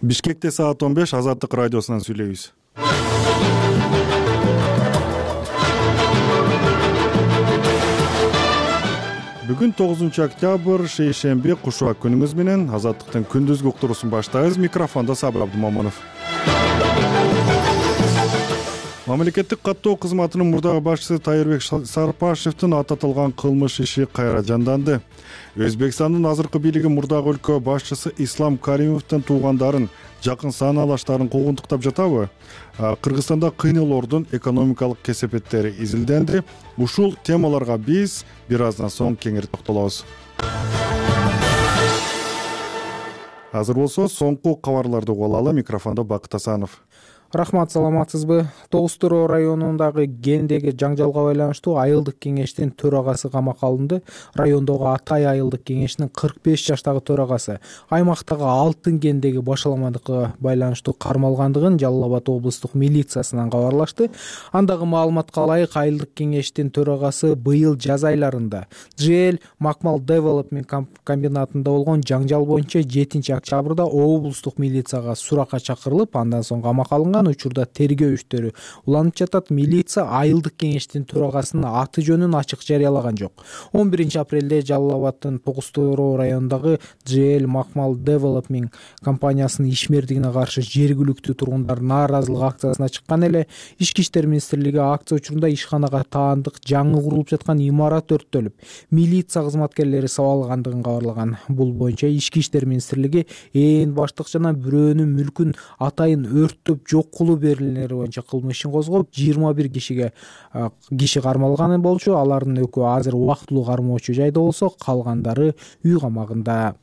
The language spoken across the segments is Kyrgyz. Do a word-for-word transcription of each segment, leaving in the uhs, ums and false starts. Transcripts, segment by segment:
Бишкекте саат он беш Азаттык радиосунан сүйлөйбүз. Бүгүн тогузунчу октябрь шейшемби кушуак күнүңүз менен Азаттыктын күндүзгү уктуруусун баштайбыз. Микрофондо Сабыр Абдумомунов. Мамлекеттик каттоо кызматынын мурдагы башчысы Тайырбек Сарпашевдин аттатылган кылмыш иши кайра жанданды. Өзбекстандын азыркы бийлиги мурдагы өлкө башчысы Ислам Каримовдун туугандарын, жакын сааналаштарын куугунтуктап жатабы? Кыргызстанда кыйноолордун экономикалык кесепеттери изилденди. Ушул темаларга биз бир аздан соң кеңири токтолобуз. Азыр болсо соңку кабарларды угуп алалы. Микрофондо Бакыт Асанов. Рахмат, саламатсызбы? Тогуз Туроо районундагы Гендеги жаңжалга байланыштуу айылдык кеңештин төрагасы камакка алынды. Райондогу Атай айылдык кеңешинин кырк беш жаштагы төрагасы аймактагы Алтын Гендеги башаламадыкка байланыштуу кармалгандыгын Жалал Абад облустук милициясынан кабарлашты. Андагы маалыматка ылайык, айылдык кеңештин төрагасы быйыл жаз айларында джи эл Макмал Девелопмент комбинатында болгон жаңжал боюнча жетинчи октябрда облустук милицияга суракка чакырылып, андан соң камакка алынган. Учурда тергөө иштери уланып жатат. Милиция айылдык кеңештин төрагасынын аты жөнүн ачык жарыялаган жок. он биринчи апрелде Жалал Абадтын Тогуз Туроо районундагы джи эл Макмал Девелопмент компаниясынын ишмердигине каршы жергиликтүү тургундар нааразылык акциясына чыккан эле. Ички иштер министрлиги акция учурунда ишканага таандык жаңы курулуп жаткан имарат өрттөлүп, милиция кызматкерлери сабалгандыгын кабарлаган. Бул боюнча Ички иштер министрлиги ээн баштык жана бирөөнүн мүлкүн атайын өрттөп жок кылуу берилүүлери боюнча кылмыш ишин козгоп, жыйырма бир кишиге киши кармалган болчу. Алардын экөө азыр убактылуу кармоочу жайда болсо, калгандары үй камагында.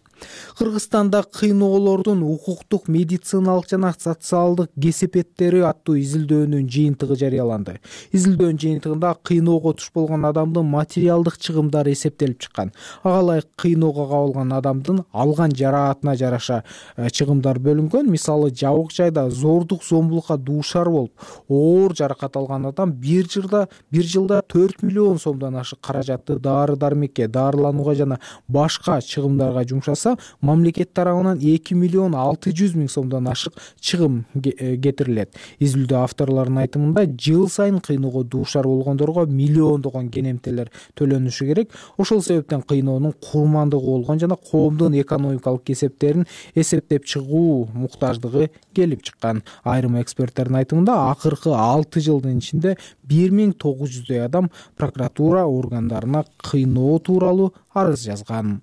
Кыргызстанда кыйноолордун укуктук, медициналык жана социалдык кесепеттери аттуу изилдөөнүн жыйынтыгы жарыяланды. Изилдөөнүн жыйынтыгында кыйноого туш болгон адамдын материалдык чыгымдары эсептелип чыккан. Ага ылайык кыйноого кабылган адамдын алган жараатына жараша чыгымдар бөлүнгөн. Мисалы, жабык жайда зордук зомбулукка дуушар болуп, оор жаракат алган адам бир жылда бир жылда төрт миллион сомдон ашык каражатты дары-дармекке, дарыланууга жана башка чыгымдарга жумшаса, мамлекет тарабынан эки миллион алты жүз миң сомдон ашык чыгым кетирилет. Изилдөө авторлорунун айтымында, жыл сайын кыйноого дуушар болгондорго миллиондогон кенемтелер төлөнүшү керек. Ошол себептен кыйноонун курмандыгы болгон жана коомдун экономикалык кесептерин эсептеп чыгуу муктаждыгы келип чыккан. Айрым эксперттердин айтымында, акыркы алты жылдын ичинде бир миң тогуз жүздөй адам прокуратура органдарына кыйноо тууралуу арыз жазган.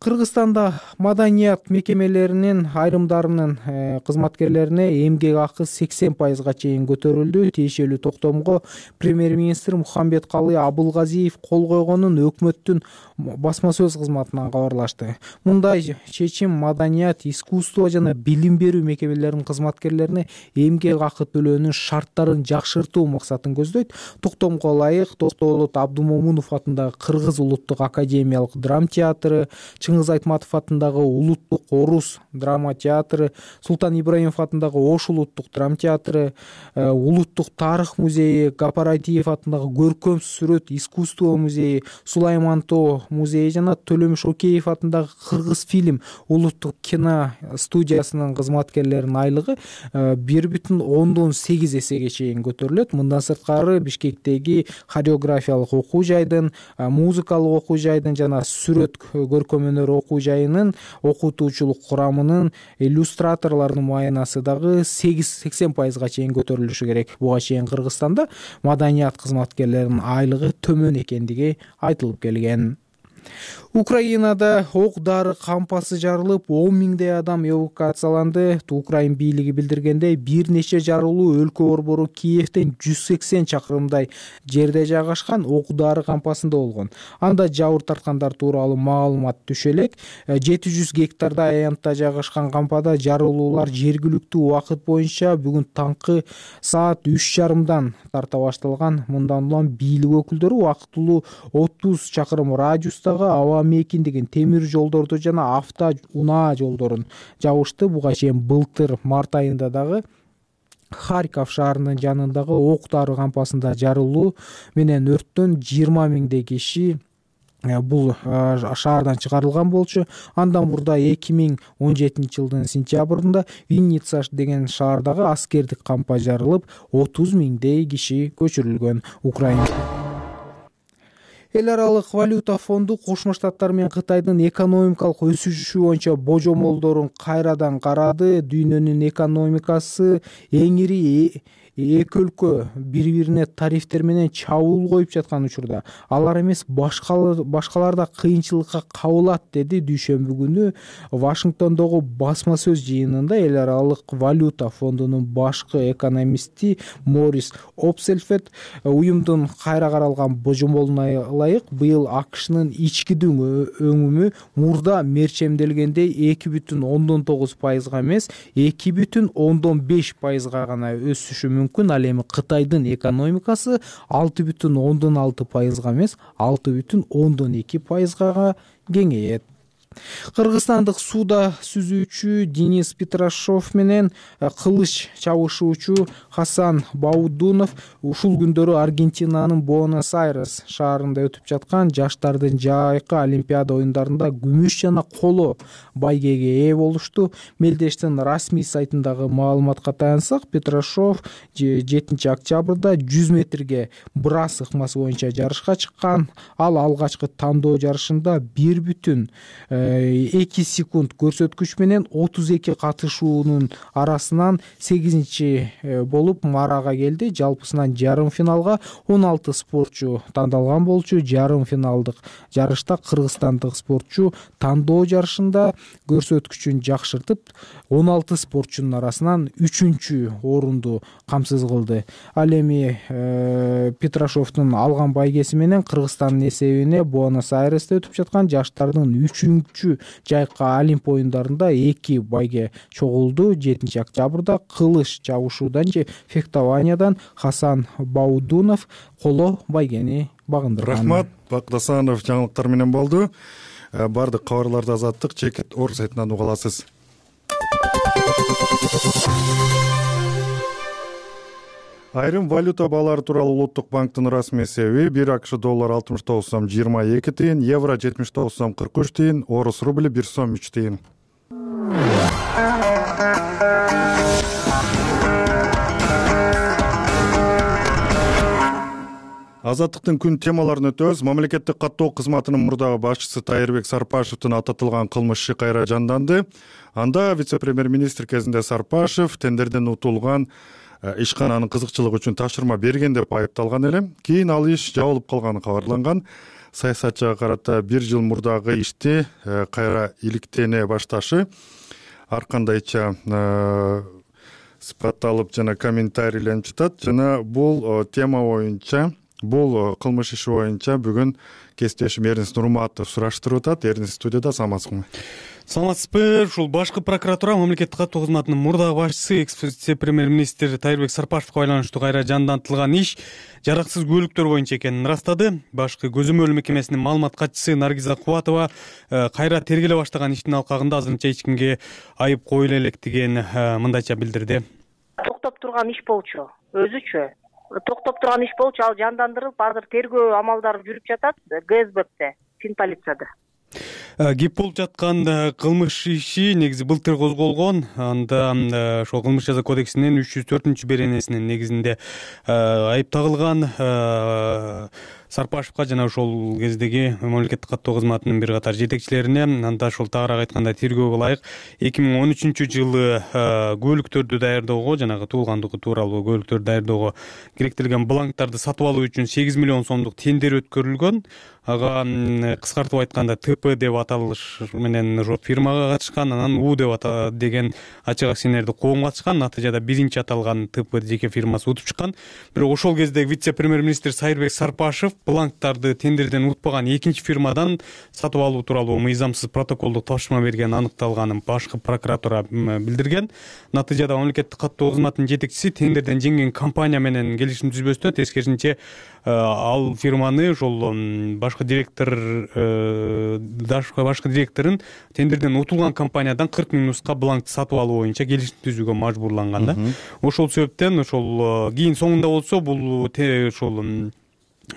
Кыргызстанда маданият мекемелеринин айрымдарынын кызматкерлерине эмгек акы сексен пайызга чейин көтөрүлдү. Тиешелүү токтомго премьер-министр Мухамбеткалы Абылгазиев кол койгонун өкмөттүн басма сөз кызматынан кабарлашты. Мындай чечим маданият, искусство жана билим берүү мекемелеринин кызматкерлерине эмгек акы төлөөнүн шарттарын жакшыртуу максатын көздөйт. Токтомго ылайык, Токтоолот Абдумомунов атындагы Кыргыз улуттук академиялык драма театры, Чыңгыз Айтматов атындагы улуттук орус драма театры, Султан Ибраимов атындагы Ош улуттук драма театры, улуттук тарых музейи, Гапаратиев атындагы көркөм сүрөт искусство музейи, Сулаймантоо музейи жана Төлөмүш Океев атындагы Кыргыз фильм улуттук кино студиясынын кызматкерлеринин айлыгы бир бүтүн ондон сегиз эсеге чейин көтөрүлөт. Мындан сырткары Бишкектеги хореографиялык окуу жайдын, музыкалык окуу жайдын жана сүрөт көркөм өнөр окуу жайынын окутуучулук курамынын иллюстраторлордун маянасы дагы сексен пайызга чейин көтөрүлүшү керек. Буга чейин Кыргызстанда маданият кызматкерлеринин айлыгы төмөн экендиги айтылып келген. Украинада ок-дары кампасы жарылып, он миңдей адам эвакуацияланды. Украин бийлиги билдиргендей, бир нече жарылуу өлкө борбору Киевден жүз сексен чакырымдай жерде жайгашкан ок-дары кампасында болгон. Анда жабыр тарткандар тууралуу маалымат түшө элек. жети жүз гектарда аянтта жайгашкан кампада жарылуулар жергиликтүү убакыт боюнча бүгүн таңкы саат үч жарымдан тарта башталган. Мындан улам бийлик өкүлдөрү убактылуу отуз чакырым радиустагы аба мейкиндигин, темир жолдорду жана авто унаа жолдорун жабышты. Буга чейин былтыр март айында дагы Харьков шаарынын жанындагы ок-дары кампасында жарылуу менен өрттөн жыйырма миңдей киши бул шаардан чыгарылган болчу. Андан мурда эки миң он жетинчи жылдын сентябрында Винница деген шаардагы аскердик кампка жарылып, отуз миңдей киши көчүрүлгөн. Украина Эл аралык валюта фонду Кошмо Штаттар менен Кытайдын экономикалык өсүшү боюнча божомолдорун кайрадан карады. Дүйнөнүн экономикасы эң ири эки өлкө бири-бирине тарифтер менен чабуул коюп жаткан учурда алар эмес башкалар да кыйынчылыкка кабылат, деди дүйшөмбү күнү Вашингтондогу басма сөз жыйынында эл аралык валюта фондунун башкы экономисти Морис Опсельфет. Уюмдун кайра каралган божомолуна ылайык быйыл АКШнын ички өңүмү мурда мерчемделгендей эки бүтүн ондон тогуз пайызга эмес, эки бүтүн ондон беш пайызга гана өсүшү мүмкүн. Ал эми Кытайдын экономикасы алты бүтүн ондон алты пайызга эмес, алты бүтүн ондон эки пайызга кеңейет. Кыргызстандык сууда сүзүүчү Денис Петрашов менен кылыч чабышуучу Хасан Баудунов ушул күндөрү Аргентинанын Буэнос-Айрес шаарында өтүп жаткан жаштардын жайкы олимпиада оюндарында күмүш жана коло байгеге ээ болушту. Мелдештин расмий сайтындагы маалыматка таянсак, Петрашов жетинчи октябрда жүз метрге брас ыкмасы боюнча жарышка чыккан. Ал алгачкы тандоо жарышында бир бүтүн эки секунд көрсөткүч менен отуз эки катышуунун арасынан сегизинчи болуп марага келди. Жалпысынан жарым финалга он алты спортчу тандалган болчу. Жарым финалдык жарышта кыргызстандык спортчу тандоо жарышында көрсөткүчүн жакшыртып, он алты спортчунун арасынан үчүнчү орунду камсыз кылды. Ал эми Петрашовдун алган байгеси менен Кыргызстандын эсебине Буэнос-Айресте өтүп жаткан жаштардын үчүнчү жайкы олимп оюндарында эки байге чогулду. жетинчи октябрда кылыч чабышуудан же фехтованиядан Хасан Баудунов коло байгени багындырган. Рахмат, Бакдасанов жаңылыктар менен болду. Бардык кабарларды Азаттык Чекит Орг сайтынан уга аласыз. Айрым валюта баалары тууралуу Улуттук банктын расмий эсеби: бир АКШ доллар алтымыш тогуз сом жыйырма эки тыйын, евро жетимиш тогуз сом кырк үч тыйын, орус рубли бир сом үч тыйын. Азаттыктын күн темаларын өтөбүз. Мамлекеттик каттоо кызматынын мурдагы башчысы Тайырбек Сарпашевдин ататылган кылмыш иши кайра жанданды. Анда вице-премьер-министр кезинде Сарпашев тендерден утулган ишкананын кызыкчылыгы үчүн тапшырма берген деп айыпталган эле. Кийин ал иш жабылып калганы кабарланган. Саясатчыга карата бир жыл мурдагы ишти кайра иликтене башташы ар кандайча сыпатталып жана комментарийленип жатат. Жана бул тема боюнча, бул кылмыш иши боюнча бүгүн кесиптешим Эрнис Нурматов сураштырып атат. Эрнис студияда, саламатсызбы? Саламатсызбы. Ушул башкы прокуратура мамлекеттик каттоо кызматынын мурдагы башчысы экс-вице-премьер-министр Тайырбек Сарпашевго байланыштуу кайра жандантылган иш жараксыз күбөлүктөр боюнча экенин ырастады. Башкы көзөмөл мекемесинин маалымат катчысы Наргиза Кубатова кайра тергеле баштаган иштин алкагында азырынча эч кимге айып коюла электигин мындайча билдирди. Токтоп турган иш болчу, өзүчө токтоп турган иш болчу, ал жандандырылып, азыр тергөө амалдары жүрүп жатат ГСБте, Фин полицияда. Кеп болуп жаткан кылмыш иши негизи былтыр козголгон. Анда ошол кылмыш жаза кодексинин үч жүз төртүнчү беренесинин негизинде айып тагылган. Сарпашевга жана ошол кездеги мамлекеттик каттоо кызматынын бир катар жетекчилерине, анда ошол тагыраак айтканда тергөөгө ылайык эки миң он үчүнчү жылы күбөлүктөрдү даярдоого, жанагы туулгандыгы тууралуу күбөлүктөрдү даярдоого керектелген бланктарды сатып алуу үчүн сегиз миллион сомдук тендер өткөрүлгөн. Ага кыскартып айтканда ТП деп аталыш менен ошо фирмага катышкан, анан У деп ата деген ачык акционердик коом катышкан. Натыйжада биринчи аталган ТП жеке фирмасы утуп чыккан. Бирок ошол кезде вице-премьер-министр Тайырбек Сарпашев бланктарды тендерден утпаган экинчи фирмадан сатып алуу тууралуу мыйзамсыз протоколдук тапшырма бергени аныкталганын башкы прокуратура билдирген. Натыйжада мамлекеттик каттоо кызматынын жетекчиси тендерден жеңген компания менен келишим түзбөстөн тескерисинче ал фирманы ошол башкы директор башкы директорун тендерден утулган компаниядан кырк миң нуска бланкты сатып алуу боюнча келишим түзүүгө мажбурланган да. Ошол себептен ошол кийин соңунда болсо бул ошол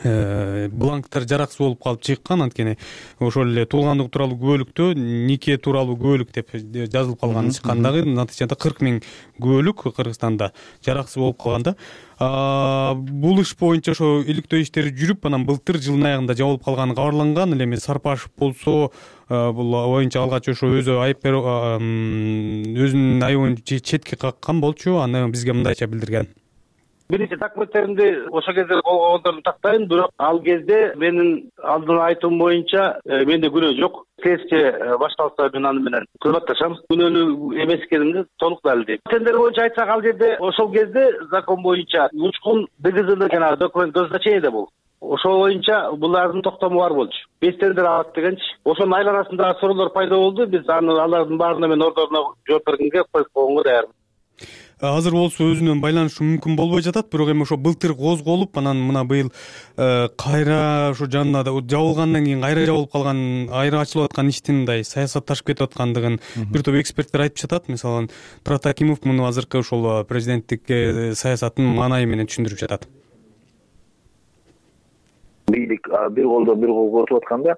бланктар жараксыз болуп калып чыккан. Анткени ошол эле туулгандыгы тууралуу күбөлүктө нике тууралуу күбөлүк деп жазылып калган чыккан дагы. Натыйжада кырк миң күбөлүк Кыргызстанда жараксыз болуп калган да. Бул иш боюнча ошо иликтөө иштери жүрүп, анан былтыр жылдын аягында жабылып калганы кабарланган. Эле эми Сарпашев болсо бул боюнча алгач ошо өзү айып өзүнүн айыбын четке каккан болчу. Аны бизге мындайча билдирген: биринчи документтеримди ошол кезде колго колдордум тактайм, бирок ал кезде менин алдын айтуум боюнча менде күнөө жок. Следствие башталса мен аны менен кызматташам. Күнөөлүү эмес экенимди толук далилдейм. Тендер боюнча айтсак, ал жерде ошол кезде закон боюнча учкун ДГЗда жанагы документ госзначениеде болду. Ошол боюнча булардын токтому бар болчу. Беш тендер алат дегенчи. Ошонун айланасында суроолор пайда болду. Биз аны алардын баарына мен ордоруна жооп бергенге коюп койгонго даярмын. Азыр болсо өзүнөн байланышы мүмкүн болбой жатат, бирок эми ошо былтыр козголуп, анан мына быйыл кайра ошо жанында жабылгандан кийин кайра жабылып калган, кайра ачылып аткан иштин мындай саясатташып кетип аткандыгын бир топ эксперттер айтып жатат. Мисалы Турат Акимов муну азыркы ошол президенттик саясаттын маанайы менен түшүндүрүп жатат. Бийлик бир колдо бир кол котуп атканда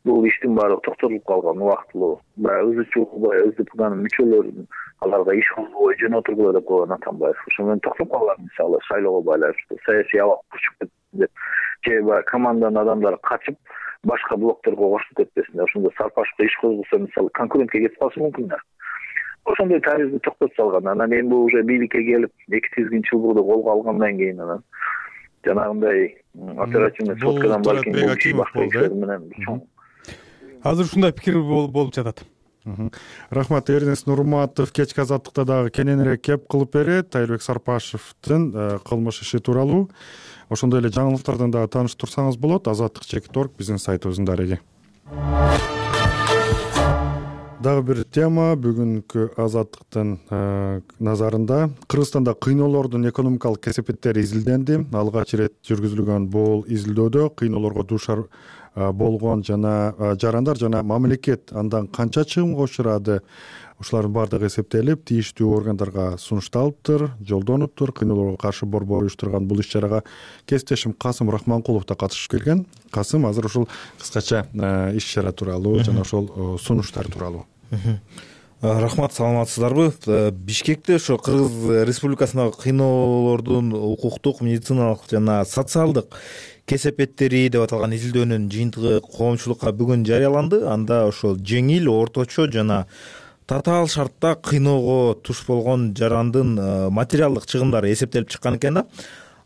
бул иштин баары токтотулуп калган убактылуу. Баягы өзүчү СДПнын мүчөлөрүн аларга иш кылбой жөнөтүлгүлө деп койгон Атамбаев. Ошо менен токтоп калган, мисалы шайлоого байланыштуу саясий абак күчүп кетти деп, же баягы команданын адамдары качып башка блокторго кошулуп кетпесин деп, ошондо Сарпашевго иш козголсо, мисалы конкурентке кетип калышы мүмкүн да. Ошондой тарихти токтотуп салган. Анан эми бул уже бийликке келип эки тизгин чылбырды колго алгандан кийин анан жанагындай оперативный соткадан балким башка иштер менен чоң. Азыр ушундай пикир болуп жатат. Рахмат. Эрнест Нурматов кечки азаттыкта дагы кененирээк кеп кылып берет Тайырбек Сарпашевдин кылмыш иши тууралуу. Ошондой эле жаңылыктардан дагы таанышып турсаңыз болот. Азаттык чекит орг биздин сайтыбыздын дареги. Дагы бир тема бүгүнкү Азаттыктын назарында. Кыргызстанда кыйноолордун экономикалык кесепеттери изилденди. Алгач ирет жүргүзүлгөн бул изилдөөдө кыйноолорго дуушар болгон жана жарандар жана мамлекет андан канча чыгымга учурады, ушулардын баардыгы эсептелип, тийиштүү органдарга сунушталыптыр, жолдонуптур. Кыйноолорго каршы борбор уюштурган бул иш-чарага кесиптешим Касым Рахманкулов да катышып келген. Касым, азыр ушул кыскача иш-чара тууралуу жана ошол сунуштар тууралуу. Рахмат, саламатсыздарбы? Бишкекте ошо Кыргыз Республикасындагы кыйноолордун укуктук, медициналык жана социалдык кесепеттери деп аталган изилдөөнүн жыйынтыгы коомчулукка бүгүн жарыяланды. Анда ошол жеңил, орточо жана татаал шартта кыйноого туш болгон жарандын материалдык чыгымдары эсептелип чыккан экен да.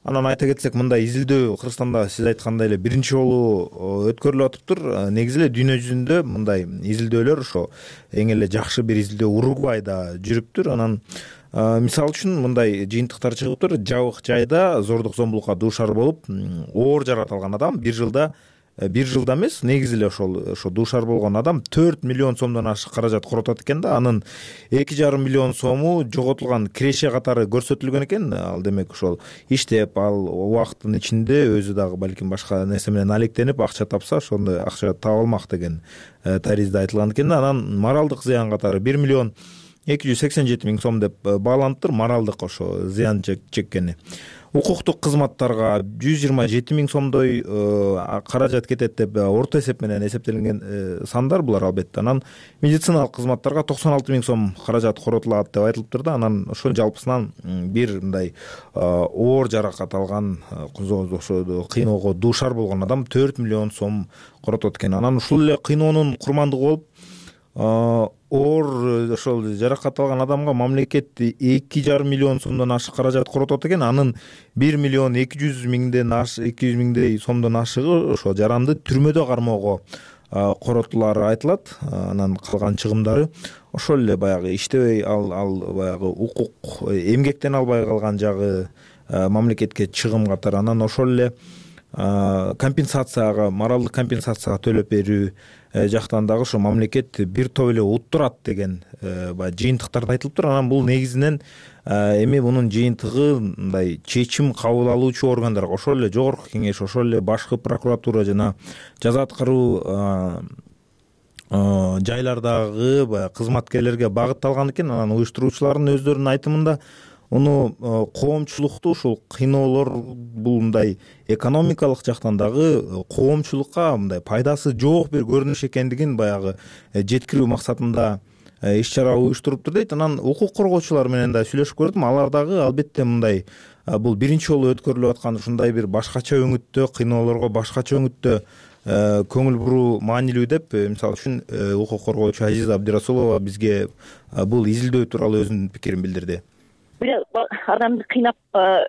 Анан айта кетсек, мындай изилдөө Кыргызстанда сиз айткандай эле биринчи жолу өткөрүлүп атыптыр. Негизи эле дүйнө жүзүндө мындай изилдөөлөр ошо эң эле жакшы бир изилдөө Уругвайда жүрүптүр. Анан мисалы үчүн мындай жыйынтыктар чыгыптыр. Жабык жайда зордук зомбулукка дуушар болуп, оор жаратылган адам бир жылда бир жылда эмес, негизи эле ошол ошо дуушар болгон адам төрт миллион сомдон ашык каражат коротот экен да. Анын эки жарым миллион сому жоготулган киреше катары көрсөтүлгөн экен. Ал демек ошол иштеп, ал убакыттын ичинде өзү дагы балким башка нерсе менен алектенип акча тапса, ошондой акча таап алмак деген таризде айтылган экен да. Анан моралдык зыян катары бир миллион эки жүз сексен жети миң сом деп бааланыптыр, моралдык ошо зыян чеккени. Укуктук кызматтарга жүз жыйырма жети миң сомдой каражат кетет деп орто эсеп менен эсептелинген сандар булар албетте. Анан медициналык кызматтарга токсон алты миң сом каражат коротулат деп айтылыптыр да. Анан ошол жалпысынан бир мындай оор жаракат алган, ошо кыйноого дуушар болгон адам төрт миллион сом коротот экен. Анан ушул эле кыйноонун курмандыгы болуп, оор ошол жаракат алган адамга мамлекет эки жарым миллион сомдон ашык каражат коротот экен. Анын бир миллион эки жүз миңден эки жүз миңдей сомдон ашыгы ошо жаранды түрмөдө кармоого коротулары айтылат. Анан калган чыгымдары ошол эле баягы иштебей ал ал баягы укук эмгектен албай калган жагы мамлекетке чыгым катары. Анан ошол эле компенсацияга, моралдык компенсацияга төлөп берүү жактан дагы ошо мамлекет бир топ эле уттурат деген баягы жыйынтыктарда айтылыптыр. Анан бул негизинен эми мунун жыйынтыгы мындай чечим кабыл алуучу органдарга, ошол эле жогорку кеңеш, ошол эле башкы прокуратура жана жаза аткаруу жайлардагы баягы кызматкерлерге багытталган экен. Анан уюштуруучулардын өздөрүнүн айтымында муну коомчулукту ушул кыйноолор бул мындай экономикалык жактан дагы коомчулукка мындай пайдасы жок бир көрүнүш экендигин баягы жеткирүү максатында иш чара уюштуруптур дейт. Анан укук коргоочулар менен да сүйлөшүп көрдүм. Алар дагы албетте мындай бул биринчи жолу өткөрүлүп аткан ушундай бир башкача өңүттө, кыйноолорго башкача өңүттө көңүл буруу маанилүү деп, мисалы үчүн укук коргоочу Азиза Абдирасулова бизге бул изилдөө тууралуу өзүнүн пикирин билдирди. Бир адамды кыйнап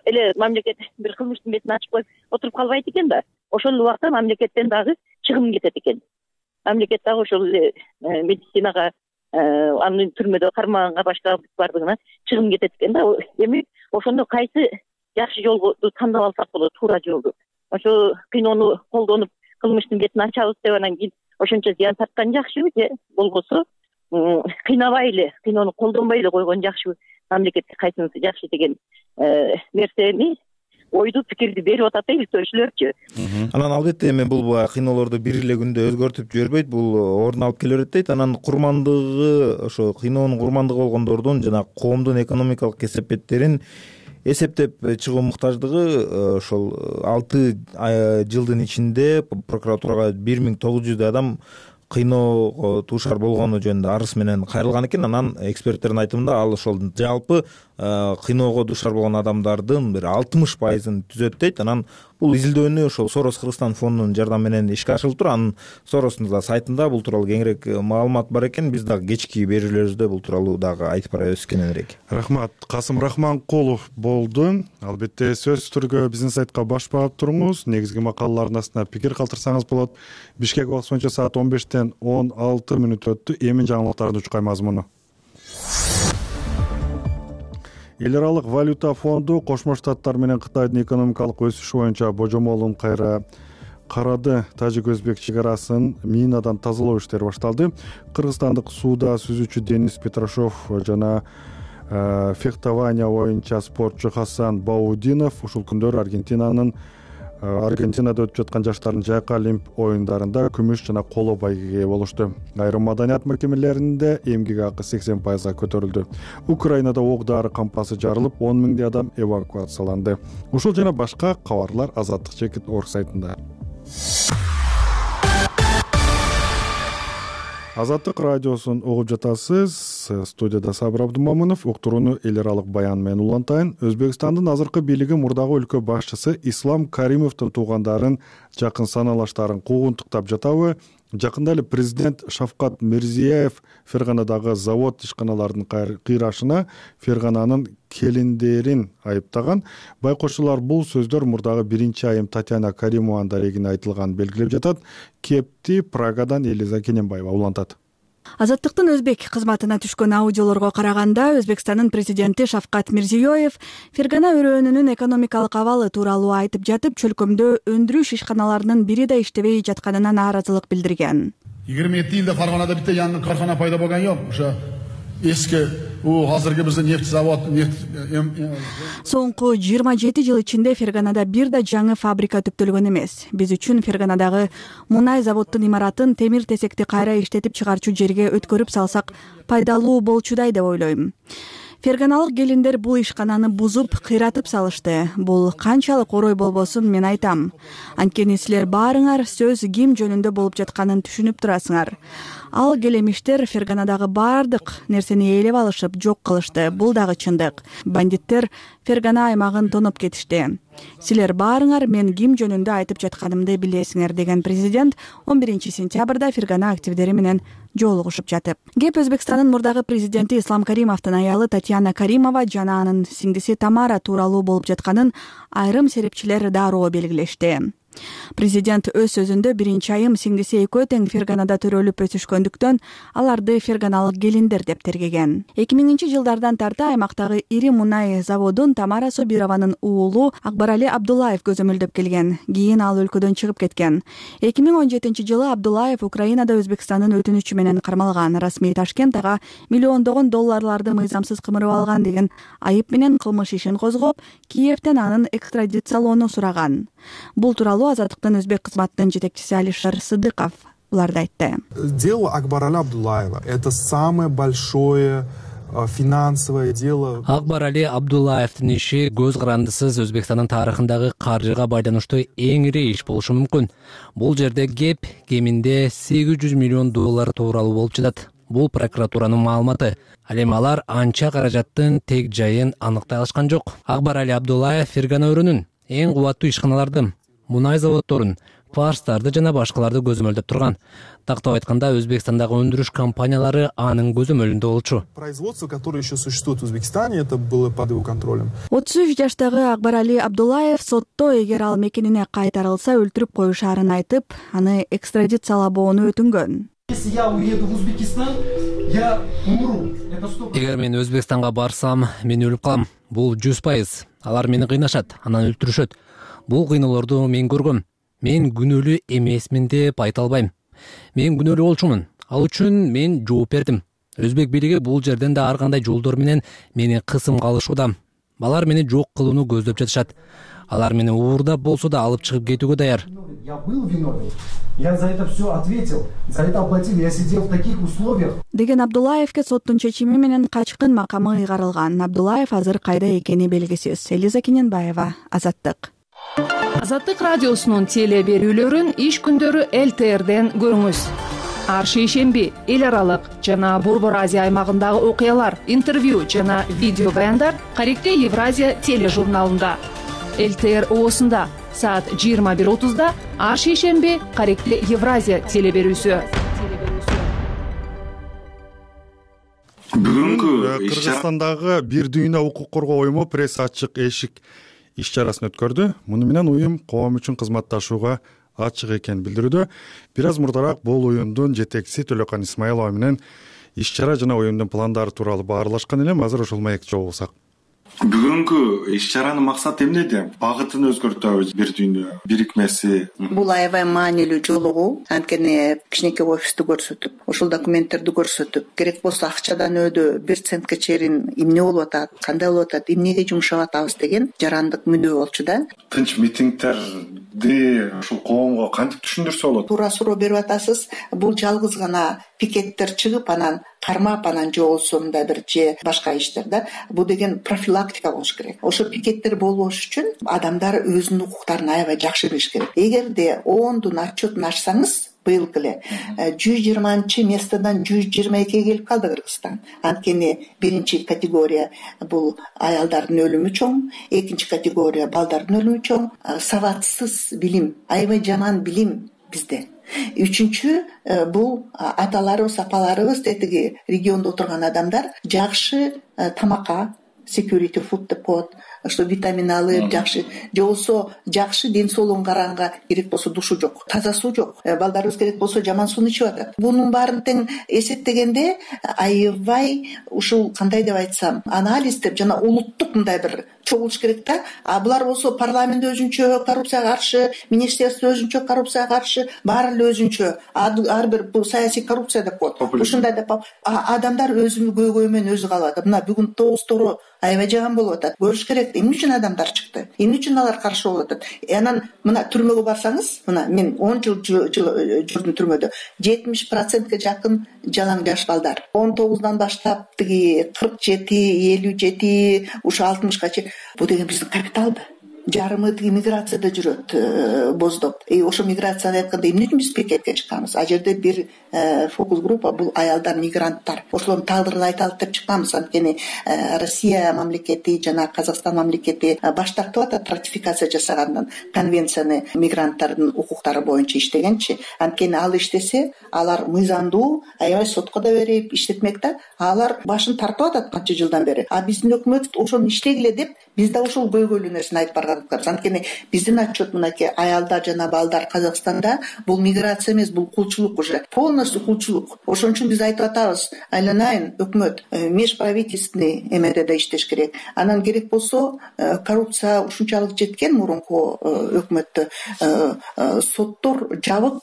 эле мамлекет бир кылмыштын бетин ачып коюп отуруп калбайт экен да. Ошол убакта мамлекеттен дагы чыгым кетет экен. Мамлекет дагы ошол эле медицинага, аны түрмөдө кармаганга, башка бардыгына чыгым кетет экен да. Эми ошондо кайсы жакшы жолду тандап алсак болот, туура жолду. Ошо кыйноону колдонуп кылмыштын бетин ачабыз деп анан кийин ошончо зыян тарткан жакшыбы же болбосо кыйнабай эле, кыйноону колдонбой эле койгон жакшыбы, мамлекетке кайсынысы жакшы деген нерсени, ойду, пикирди берип атат да иликтөөчүлөрчү. Анан албетте эми бул баягы кыйноолорду бир эле күндө өзгөртүп жибербейт, бул ордун алып келе берет дейт. Анан курмандыгы, ошо кыйноонун курмандыгы болгондордун жана коомдун экономикалык кесепеттерин эсептеп чыгуу муктаждыгы ошол алты жылдын ичинде прокуратурага бир миң тогуз жүздөй адам кыйноого туушар болгону жөнүндө арыз менен кайрылган экен. Анан эксперттердин айтымында ал ошол жалпы кыйноого дуушар болгон адамдардын бир алтымыш пайызын түзөт дейт. Анан бул изилдөөнү ошол Сорос Кыргызстан фондунун жардамы менен ишке ашырылыптыр. Анын Соростун сайтында бул тууралуу кеңирээк маалымат бар экен. Биз дагы кечки берүүлөрүбүздө бул тууралуу дагы айтып барабыз кененирээк. Рахмат. Касым Рахманкулов болду. Албетте сөзсүз түрдө биздин сайтка баш багып туруңуз. Негизги макалалардын астына пикир калтырсаңыз болот. Бишкек убакыты боюнча саат он бештен он алты мүнөт өттү. Эми жаңылыктардын учкай мазмуну. Эл аралык валюта фонду Кошмо Штаттар менен Кытайдын экономикалык өсүшү боюнча божомолун кайра карады. Тажик-өзбек чек арасын минадан тазалоо иштери башталды. Кыргызстандык сууда сүзүүчү Денис Петрашов жана фехтование боюнча спортчу Хасан Баудинов ушул күндөр Аргентинанын Аргентинада өтүп жаткан жаштардын жайкы олимп оюндарында күмүш жана коло байгеге ээ болушту. Айрым маданият мекемелеринде эмгек акы сексен пайызга көтөрүлдү. Украинада ок дары кампасы жарылып, он миңдей адам эвакуацияланды. Ушул жана башка кабарлар Азаттык чекит орг сайтында. Азаттык радиосун угуп жатасыз. Студияда Сабыр Абдумамынов. Уктурууну эл аралык баян менен улантайын. Өзбекстандын азыркы бийлиги мурдагы өлкө башчысы Ислам Каримовдун туугандарын, жакын саналаштарын куугунтуктап жатабы? Жакында эле президент Шавкат Мирзиеев Ферганадагы завод ишканаларынын кыйрашына Фергананын келиндерин айыптаган. Байкоочулар бул сөздөр мурдагы биринчи айым Татьяна Каримованын дарегине айтылганын белгилеп жатат. Кепти Прагадан Элиза Кененбаева улантат. Азаттыктын өзбек кызматына түшкөн аудиолорго караганда, Өзбекстандын президенти Шавкат Мирзиёев Фергана өрөөнүнүн экономикалык абалы тууралуу айтып жатып, чөлкөмдө өндүрүш ишканаларынын бири да иштебей жатканына нааразылык билдирген. yigirma yetti yilda Farg'onada bitta yangi korxona paydo bo'lgan yo'q. O'sha eski u hozirgi bizning neft zavod neft Соңку жыйырма жети жыл ичинде Ферганада бир да жаңы фабрика түптөлгөн эмес. Биз үчүн Ферганадагы мунай заводдун имаратын темир тесекти кайра иштетип чыгарчу жерге өткөрүп салсак пайдалуу болчудай деп ойлойм. Ферганалык келиндер бул ишкананы бузуп, кыйратып салышты. Бул канчалык орой болбосун мен айтам. Анткени силер баарыңар сөз ким жөнүндө болуп жатканын түшүнүп турасыңар. Ал келемиштер Ферганадагы баардык нерсени ээлеп алышып, жок кылышты. Бул дагы чындык. Бандиттер Фергана аймагын тоноп кетишти. Силер баарыңар мен ким жөнүндө айтып жатканымды билесиңер, деген президент он биринчи сентябрда Фергана активдери менен жолугушуп жатып. Кеп Өзбекстандын мурдагы президенти Ислам Каримовдун аялы Татьяна Каримова жана анын сиңдиси Тамара тууралуу болуп жатканын айрым серепчилер дароо белгилешти. Президент өз сөзүндө биринчи айым сиңдиси экөө тең Ферганада төрөлүп өсүшкөндүктөн аларды ферганалык келиндер деп тергеген. эки миңинчи жылдардан тарта аймактагы ири мунай заводун Тамара Собированын уулу Акбарали Абдуллаев көзөмөлдөп келген. Кийин ал өлкөдөн чыгып кеткен. эки миң он жетинчи жылы Абдуллаев Украинада Өзбекстандын өтүнүчү менен кармалган. Расмий Ташкент ага миллиондогон долларларды мыйзамсыз кымырып алган деген айып менен кылмыш ишин козгоп, Киевден анын экстрадициялоону сураган. Бул тууралуу Азаттыктын өзбек кызматынын жетекчиси Алишер Сыдыков уларды айтты. Дело Акбарали Абдуллаева — это самое большое финансовое дело. Акбарали Абдуллаевдин иши көз карандысыз Өзбекстандын тарыхындагы каржыга байланыштуу эң ири иш болушу мүмкүн. Бул жерде кеп кеминде сегиз жүз миллион доллар тууралуу болуп жатат. Бул прокуратуранын маалыматы. Ал эми алар анча каражаттын тег жайын аныктай алышкан жок. Акбарали Абдуллаев Фергана өрүнүн эң кубаттуу ишканаларды, мунай заводдорун, фарстарды жана башкаларды көзөмөлдөп турган. Тактап айтканда, Өзбекстандагы өндүрүш компаниялары анын көзөмөлүндө болчу. Производство, которое еще существует в Узбекистане, это было под его контролем. отуз үч жаштагы Акбарали Абдуллаев сотто эгер ал мекенине кайтарылса өлтүрүп коюшаарын айтып, аны экстрадициялабоону өтүнгөн. Если я уеду в Узбекистан, я умру. Эгер мен Өзбекстанга барсам, мен өлүп калам. Бул жүз пайыз. Алар мени кыйнашат, анан өлтүрүшөт. Бул кыйноолорду мен көргөм. Мен күнөөлүү эмесмин деп айта албайм. Мен күнөөлүү болчумун. Ал үчүн мен жооп бердим. Өзбек бийлиги бул жерден да ар кандай жолдор менен мени кысымга алышууда. Алар мени жок кылууну көздөп жатышат. Алар мени уурдап болсо да алып чыгып кетүүгө даяр. Я был виновен. Я за это все ответил. За это оплатил. Я сидел в таких условиях. Деген Абдуллаевке соттун чечими менен качкын макамы ыйгарылган. Абдуллаев азыр кайда экени белгисиз. Элиза Кененбаева, Азаттык. Азаттык радиосунун теле берүүлөрүн иш күндөрү эл тэ эрден көрүңүз. Ар шейшемби эл аралык жана Борбор Азия аймагындагы окуялар, интервью жана видео баяндар Каректе Евразия тележурналында. эл тэ эр оосунда саат жыйырма бир отузда ар шейшемби Каректе Евразия теле берүүсү. Бүгүнкү Кыргызстандагы бир дүйнө укук коргоо уюму пресс ачык эшик иш чарасын өткөрдү. Муну менен уюм коом үчүн кызматташууга ачык экенин билдирүүдө. Бир аз мурдараак бул уюмдун жетекчиси Төлөкан Исмаилова менен иш чара жана уюмдун пландары тууралуу баарлашкан элем. Азыр ошол маекти жолугусак. Бүгүнкү иш чаранын максаты эмнеде? Багытын өзгөртөбүз бир дүйнө бирикмеси. Бул аябай маанилүү жолугуу. Анткени кичинекей офисту көрсөтүп, ошол документтерди көрсөтүп, керек болсо акчадан өдө бир центке чейин эмне болуп атат, кандай болуп атат, эмнеге жумшап атабыз деген жарандык мүнөө болчу да. Тынч митингдерди ушул коомго кантип түшүндүрсө болот? Туура суроо берип атасыз. Бул жалгыз гана пикеттер чыгып анан кармап анан жолсо мындай бир же башка иштер да. Бул деген профилактика болуш керек. Ошо пикеттер болбош үчүн адамдар өзүнүн укуктарын аябай жакшы билиш керек. Эгерде ондун отчетун ачсаңыз, быйыл эле жүз жыйырманчы местодан жүз жыйырма экиге келип калды Кыргызстан. Анткени биринчи категория бул аялдардын өлүмү чоң, экинчи категория балдардын өлүмү чоң, сабатсыз билим, аябай жаман билим бизде. Үчүнчү бул аталарыбыз, апаларыбыз тетиги региондо отурган адамдар жакшы тамакка, security food деп коет, что витамин алып жакшы, же болбосо жакшы ден соолугун караганга керек болсо душу жок, таза суу жок. Балдарыбыз керек болсо жаман сууну ичип атат. Бунун баарын тең эсептегенде аябай ушул кандай деп айтсам, анализ деп жана улуттук мындай бир чогулуш керек да. А булар болсо парламент өзүнчө коррупцияга каршы, министерство өзүнчө коррупцияга каршы, баары эле өзүнчө. Ар бир бул саясий коррупция деп коет. Ушундай деп адамдар өзүнүн көйгөйү менен өзү калып атат. Мына бүгүн тоостору аябай жаган болуп атат. Көрүш керек, эмне үчүн адамдар чыкты, эмне үчүн алар каршы болуп атат. Анан мына түрмөгө барсаңыз, мына мен он жыл жүрдүм түрмөдө, жетимиш процентке жакын жалаң жаш балдар. он тогуздан баштап тиги кырк жети, элүү жети, ушу алтымышка чейин. Бул деген биздин капиталды. Жарымы тиги миграцияда жүрөт боздоп. И ошо миграцияны айтканда эмне үчүн биз пикетке чыкканбыз? А жерде бир фокус группа бул аялдар, мигранттар. Ошолордун тагдырын айталык деп чыкканбыз. Анткени Россия мамлекети жана Казакстан мамлекети баш тартып атат ратификация жасагандан, конвенцияны мигранттардын укуктары боюнча иштегенчи. Анткени ал иштесе, алар мыйзамдуу, аябай сотко да берип иштетмек да. Алар башын тартып атат канча жылдан бери. А биздин өкмөт ошону иштегиле деп, биз да ошол көйгөйлүү нерсени айтып барган. Анткени биздин отчет мынакей аялдар жана балдар Казакстанда бул миграция эмес, бул кулчулук уже. Полностью кулчулук. Ошон үчүн биз айтып атабыз, айланайын өкмөт межправительственный эмеде да иштеш керек. Анан керек болсо коррупция ушунчалык жеткен мурунку өкмөттө соттор жабык,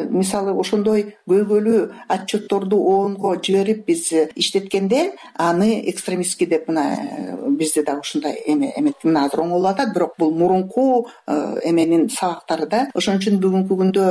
мисалы ошондой көйгөйлүү отчетторду оонго жиберип биз иштеткенде аны экстремистский деп мына бизде да ушундай эме эмет. Мына азыр оңолуп атат, бирок бул мурунку эменин сабактары да. Ошон үчүн бүгүнкү күндө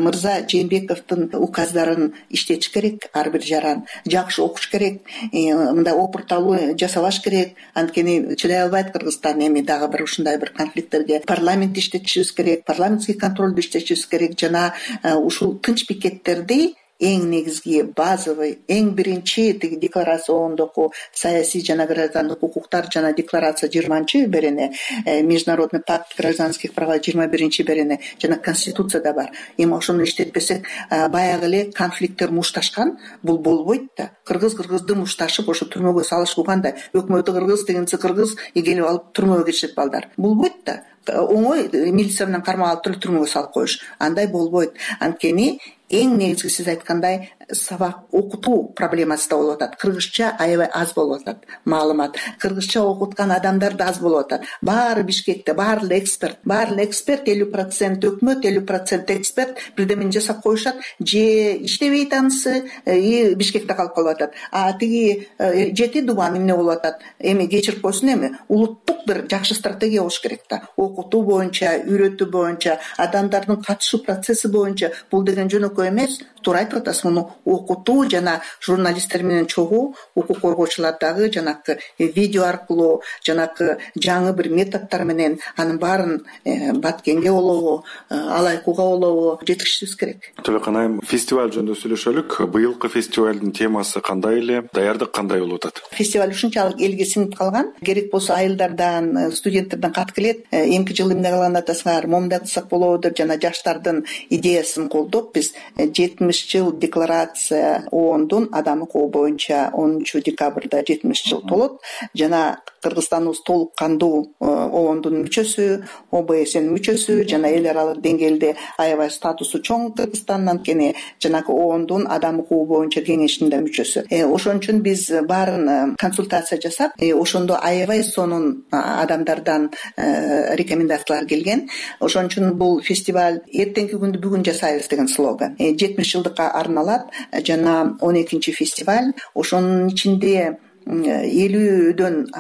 мырза Жээнбековдун указдарын иштетиш керек, ар бир жаран жакшы окуш керек, мындай опурталуу жасабаш керек. Анткени чыдай албайт Кыргызстан эми дагы бир ушундай бир конфликттерге. Парламент иштетишибиз керек, парламентский контролду иштетишибиз керек жана ушул тынч пикеттерди эң негизги базовый, эң биринчи тиги декларация оондогу саясий жана граждандык укуктар жана декларация жыйырманчы берене, международный пакт гражданских прав жыйырма биринчи берене жана конституцияда бар. Эми ошону иштетпесек баягы эле конфликттер мушташкан, бул болбойт да. Кыргыз кыргызды мушташып ошо түрмөгө салышуу кандай? Өкмөтү кыргыз, тигинси кыргыз келип алып түрмөгө киришет балдар. Болбойт да. Оңой милиция менен кармап алып туруп түрмөгө салып коюш. Андай болбойт. Анткени эң негизги сиз айткандай сабак окутуу проблемасы да болуп атат. Кыргызча аябай аз болуп атат маалымат. Кыргызча окуткан адамдар да аз болуп атат. Баары Бишкекте, баары эле эксперт, баары эле эксперт, элүү процент өкмөт, элүү процент эксперт бирдемени жасап коюшат, же иштебейт анысы, и Бишкекте калып калып атат. А тиги жети дубан эмне болуп атат? Эми кечирип койсун, эми улуттук бир жакшы стратегия болуш керек да. Окутуу боюнча, үйрөтүү боюнча, адамдардын катышуу процесси боюнча бул деген жөнөкөй эмес. Туура айтып атасыз, муну окутуу жана журналисттер менен чогуу, укук коргоочулар дагы жанакы видео аркылуу, жанакы жаңы бир методдор менен анын баарын баткенге болобу, алайкууга болобу жеткиришибиз керек. Төлөкөн айым, фестиваль жөнүндө сүйлөшөлүк. Быйылкы фестивалдын темасы кандай эле, даярдык кандай болуп атат? Фестиваль ушунчалык элге сиңип калган. Керек болсо айылдардан, студенттерден кат келет. Эмки жылы эмне кылган атасыңар, момундай кылсак болобу деп жана жаштардын идеясын колдоп биз жетимиш жыл декларация оондун адам укугу боюнча онунчу декабрда жетимиш жыл толот. Жана Кыргызстаныбыз толук кандуу оондун мүчөсү, О Б С'нин мүчөсү жана эл аралык деңгээлде аябай статусу чоң Кыргызстан, анткени жанагы оондун адам укугу боюнча кеңешинин да мүчөсү. Ошон үчүн биз баарын консультация жасап, ошондо аябай сонун адамдардан рекомендациялар келген. Ошон үчүн бул фестиваль эртеңки күндү бүгүн жасайбыз деген слоган. жетимиш жылдыкка арналат жана он экинчи фестиваль. Ошонун ичинде элүүдөн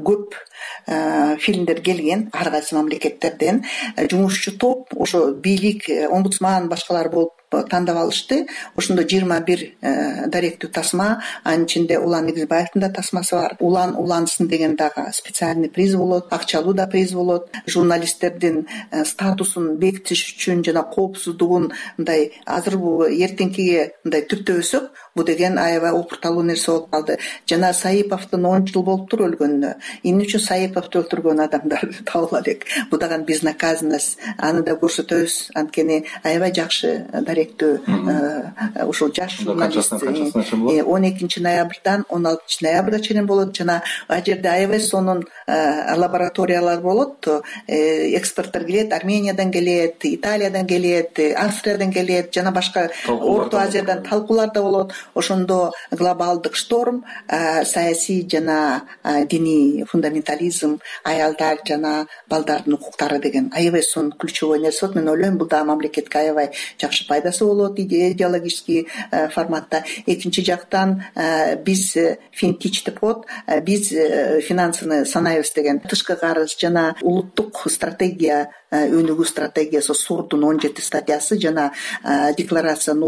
көп фильмдер келген ар кайсы мамлекеттерден. Жумушчу топ, ошо бийлик, омбудсман, башкалар болуп тандап алышты. Ошондо жыйырма бир даректүү тасма, анын ичинде Улан Негизбаевдин да тасмасы бар. Улан улансын деген дагы специальный приз болот, акчалуу да приз болот. Журналисттердин статусун бекитиш үчүн жана коопсуздугун мындай азыр бул эртеңкиге мындай түптөбөсөк, бул деген аябай опурталуу нерсе болуп калды. Жана Саиповдун он жыл болуптур өлгөнүнө. Эмне үчүн Саиповду өлтүргөн адамдарды табыла элек. Бул дагы безнаказанность. Аны да көрсөтөбүз. Анткени аябай жакшы ушул жаш журналист он экинчи ноябрдан он алтынчы ноябрга чейин болот. Жана ал жерде аябай сонун лабораториялар болот. Эксперттер келет, Армениядан келет, Италиядан келет, Австриядан келет, жана башка Орто Азиядан талкуулар да болот. Ошондо глобалдык шторм, саясий жана диний фундаментализм, аялдар жана балдардын укуктары деген аябай сонун ключевой нерсе болот. Мен ойлойм, бул да мамлекетке аябай жакшы пайдасы болот идеологический форматта. Экинчи жактан биз финтич деп коет, биз финансыны санайбыз деген тышкы карыз жана улуттук стратегия, өнүгүү стратегиясы, Сурдун он жети статьясы жана декларациянын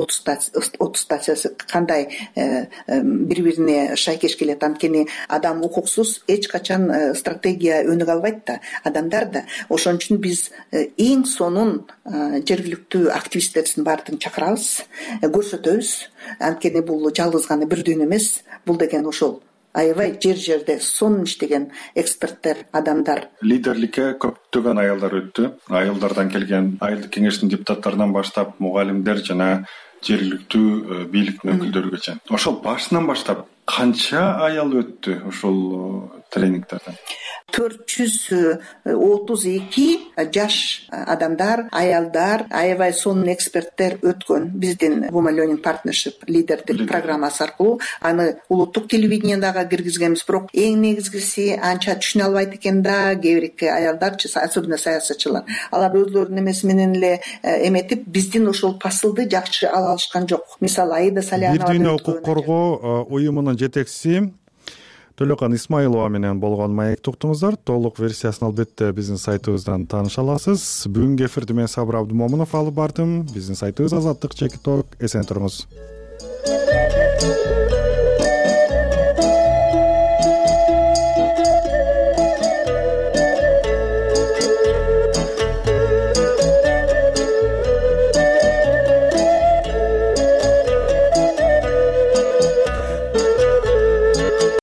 отуз статьясы кандай бири-бирине шайкеш келет. Анткени адам укуксуз эч качан стратегия өнүгө албайт да, адамдар да. Ошон үчүн биз эң сонун жергиликтүү активисттердин баардыгын чакырабыз, көрсөтөбүз. Анткени бул жалгыз гана бир дүйнө эмес, бул деген ошол аябай жер жерде сонун иштеген эксперттер, адамдар. Лидерликке көптөгөн аялдар өттү. Айылдардан келген айылдык кеңештин депутаттарынан баштап мугалимдер жана жергиликтүү бийликтин өкүлдөрүгө чейин. Ошол башынан баштап канча аял өттү ошол тренингтерден? төрт жүз отуз эки жаш адамдар, аялдар, аябай сонун эксперттер өткөн биздин Women Learning Partnership лидердик программасы аркылуу. Аны улуттук телевидениедагы киргизгенбиз, бирок эң негизгиси анча түшүнө албайт экен да кээ-бирки аялдарчы, особенно саясатчылар. Алар өзлөрүнүн эмеси менен эле эметип, биздин ошол посылды жакшы ала алышкан жок. Мисалы Аида Салянова бир дүйнө укук коргоо уюмунун жетекчиси Төлөкан Исмаилова менен болгон маекти уктуңуздар. Толук версиясын албетте биздин сайтыбыздан тааныша аласыз. Бүгүнкү эфирди мен Сабыр Абдымомунов алып бардым. Биздин сайтыбыз Азаттык чекит ок. Эсен туруңуз.